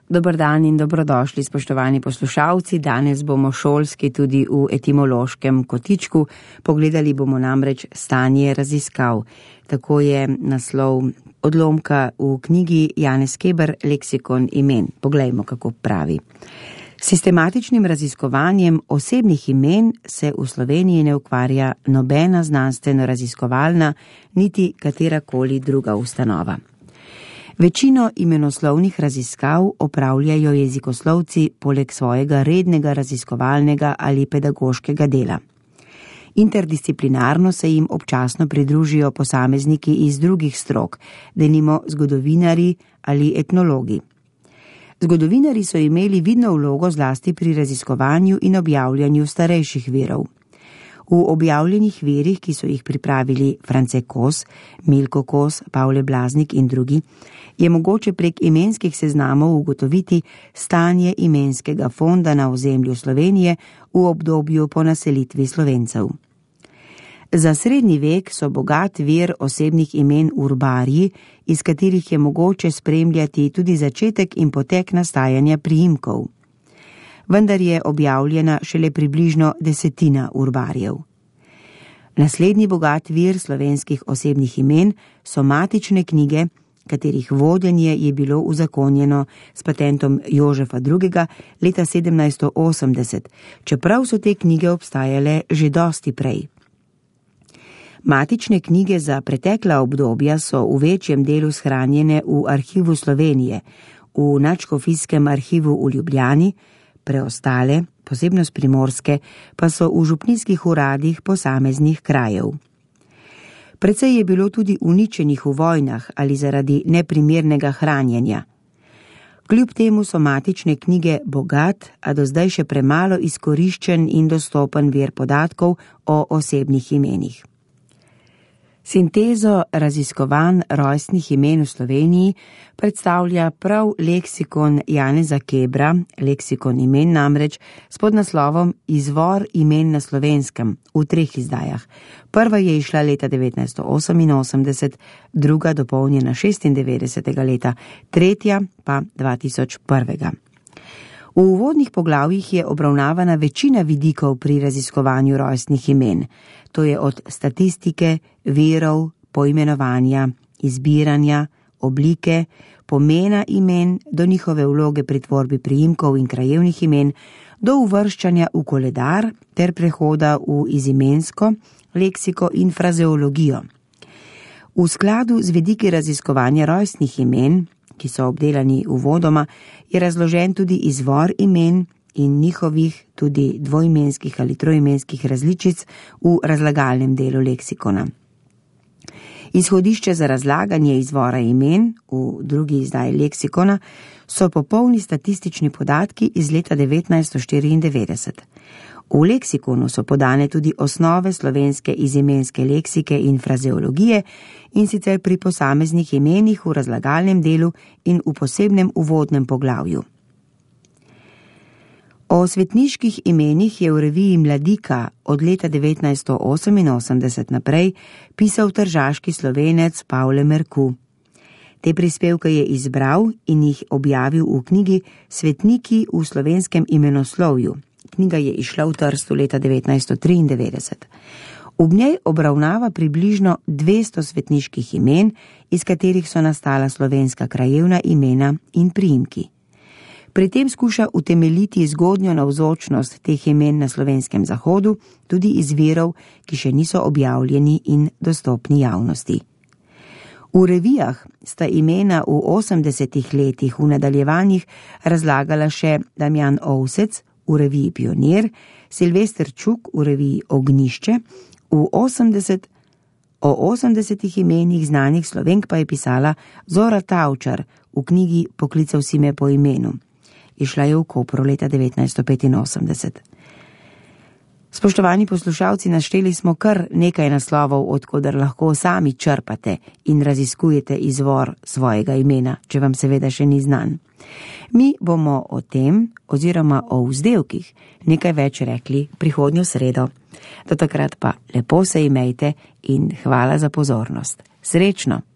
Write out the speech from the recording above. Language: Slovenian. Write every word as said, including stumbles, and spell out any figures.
Dober dan in dobrodošli, spoštovani poslušalci. Danes bomo šolski tudi v etimološkem kotičku. Pogledali bomo namreč stanje raziskav. Tako je naslov odlomka v knjigi Janez Keber, Leksikon imen. Poglejmo, kako pravi. Sistematičnim raziskovanjem osebnih imen se v Sloveniji ne ukvarja nobena znanstveno-raziskovalna, niti katerakoli druga ustanova. Večino imenoslovnih raziskav opravljajo jezikoslovci poleg svojega rednega raziskovalnega ali pedagoškega dela. Interdisciplinarno se jim občasno pridružijo posamezniki iz drugih strok, denimo zgodovinarji ali etnologi. Zgodovinarji so imeli vidno vlogo zlasti pri raziskovanju in objavljanju starejših virov. V objavljenih virih, ki so jih pripravili France Kos, Milko Kos, Pavle Blaznik in drugi, je mogoče prek imenskih seznamov ugotoviti stanje imenskega fonda na ozemlju Slovenije v obdobju po naselitvi Slovencev. Za srednji vek so bogat vir osebnih imen urbarji, iz katerih je mogoče spremljati tudi začetek in potek nastajanja priimkov. Vendar je objavljena šele približno desetina urbarjev. Naslednji bogat vir slovenskih osebnih imen so matične knjige, katerih vodenje je bilo uzakonjeno s patentom Jožefa drugega leta sedemnajststo osemdeset, čeprav so te knjige obstajale že dosti prej. Matične knjige za pretekla obdobja so v večjem delu shranjene v Arhivu Slovenije, v Nadškofijskem arhivu v Ljubljani, preostale, posebno s Primorske, pa so v župnijskih uradih posameznih krajev. Precej je bilo tudi uničenih v vojnah ali zaradi neprimernega hranjenja. Kljub temu so matične knjige bogat, a do zdaj še premalo izkoriščen in dostopen vir podatkov o osebnih imenih. Sintezo raziskovanj rojstnih imen v Sloveniji predstavlja prav leksikon Janeza Kebra, Leksikon imen namreč, s podnaslovom Izvor imen na slovenskem v treh izdajah. Prva je izšla leta devetnajststo oseminosemdeset, druga dopolnjena šestindevetdesetega leta, tretja pa dva tisoč prvega. V uvodnih poglavjih je obravnavana večina vidikov pri raziskovanju rojstnih imen. To je od statistike, virov, poimenovanja, izbiranja, oblike, pomena imen do njihove vloge pri tvorbi priimkov in krajevnih imen, do uvrščanja v koledar ter prehoda v izimensko, leksiko in frazeologijo. V skladu z vidiki raziskovanja rojstnih imen, ki so obdelani uvodoma, je razložen tudi izvor imen in njihovih tudi dvoimenskih ali troimenskih različic v razlagalnem delu leksikona. Izhodišče za razlaganje izvora imen v drugi izdaji leksikona so popolni statistični podatki iz leta devetnajststo štiriindevetdeset. V leksikonu so podane tudi osnove slovenske izimenske leksike in frazeologije, in sicer pri posameznih imenih v razlagalnem delu in v posebnem uvodnem poglavju. O svetniških imenih je v reviji Mladika od leta devetnajststo oseminosemdeset naprej pisal tržaški Slovenec Pavle Merku. Te prispevke je izbral in jih objavil v knjigi Svetniki v slovenskem imenoslovju. Knjiga je izšla v Trstu leta devetnajststo triindevetdeset. V njej obravnava približno dvesto svetniških imen, iz katerih so nastala slovenska krajevna imena in priimki. Pri tem skuša utemeljiti zgodnjo navzočnost teh imen na slovenskem zahodu, tudi iz virov, ki še niso objavljeni in dostopni javnosti. V revijah sta imena v osemdesetih letih v nadaljevanjih razlagala še Damjan Ovsec v reviji Pionir, Silvester Čuk v reviji Ognišče, v osemdeset, o osemdesetih imenih znanih Slovenk pa je pisala Zora Tavčar v knjigi Poklical si me po imenu. Išla je v Kopru leta devetnajststo petinosemdeset. Spoštovani poslušalci, našteli smo kar nekaj naslovov, od koder lahko sami črpate in raziskujete izvor svojega imena, če vam seveda še ni znan. Mi bomo o tem oziroma o vzdevkih nekaj več rekli prihodnjo sredo. Do takrat pa lepo se imejte in hvala za pozornost. Srečno!